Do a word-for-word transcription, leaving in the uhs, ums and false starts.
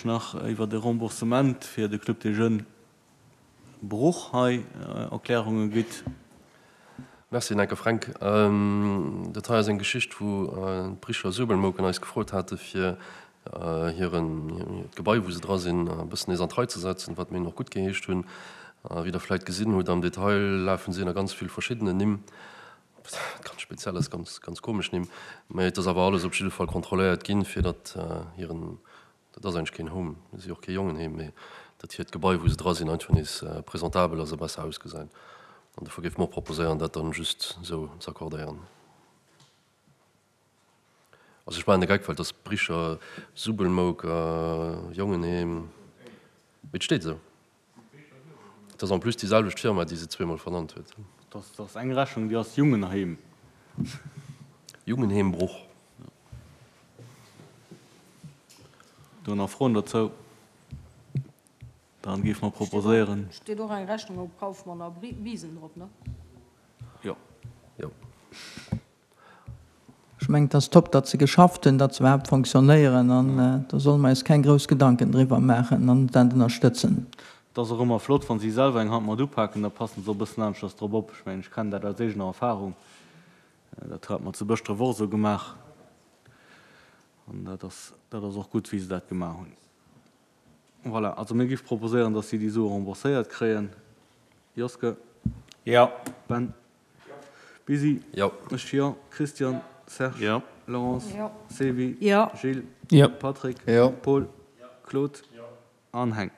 nach iwwer de Remboursement fir de Club des Jeunes Bruch hei Erklärunge gitt. Merci Nenke Fränk. Dat hei ass eng Geschicht, wou d'Bricher Suebelmouken eis gefrot hate fir hiren, hiert Gebai, wou se dra sinn, e bëssen nees an d'Rei ze setzen, wat mir hinnen och guttgeheescht hunn. Wéi Der vläicht gesinn hutt, am Detail lafen si ënner ganz vill verschiddenen Nimm, ganz speziell ass, ganz, ganz komesch Nimm, mä et ass awer alles op jidde Fall kontrolléiert ginn, fir datt hiren, dat ass eigentlech keen Home, si och kee Jongenheem, mä datt hiert Gebai, wou se dra sinn, einfach nees presentabel ass a besser ausgesäit. An dofir géife mer och proposéieren, dat dann just esou ze accordéieren. Also ech maachen de Geck, well et ass Bricher, Subbelmouk a Jongenheem, mee et steet esou. Et ass en plus déi selwecht Firma, déi se zweemol vernannt huet. Dat ass eng Rechnung, déi ass Jungenheem. Jungenheem Bruch. Do nach Froen dozou? Dann géife mer proposéieren. Steet och eng Rechnung op Kaufmann a Biisen drop, ne? Jo. Jo. Ech mengen, et ass top, datt se geschafft hunn, datt se iwwerhaapt fonctionnéieren an do solle mer eis keng grouss Gedanken driwwer maachen an dat ënnerstëtzen. Et ass och ëmmer flott, wa si selwer eng Hand mat upaken, da passen se och e bëssen aneschters drop op. Ech mengen, ech kennen dat aus eegener Erfahrung. Dat hate mer zu Bëschdref och esou gemaach an dat ass, dat ass och gutt, wéi se dat gemaach hunn. Voilà, also mir géife proposéieren, dass si déi Sue rembourséiert kréien. Joske? Jo. Ben? Busy? Jo. Ech jo. Christian? Serge? Jo. Laurence? Jo. Sevi? Jo. Gilles? Jo. Patrick? Jo. Paul? Claude? An Heng.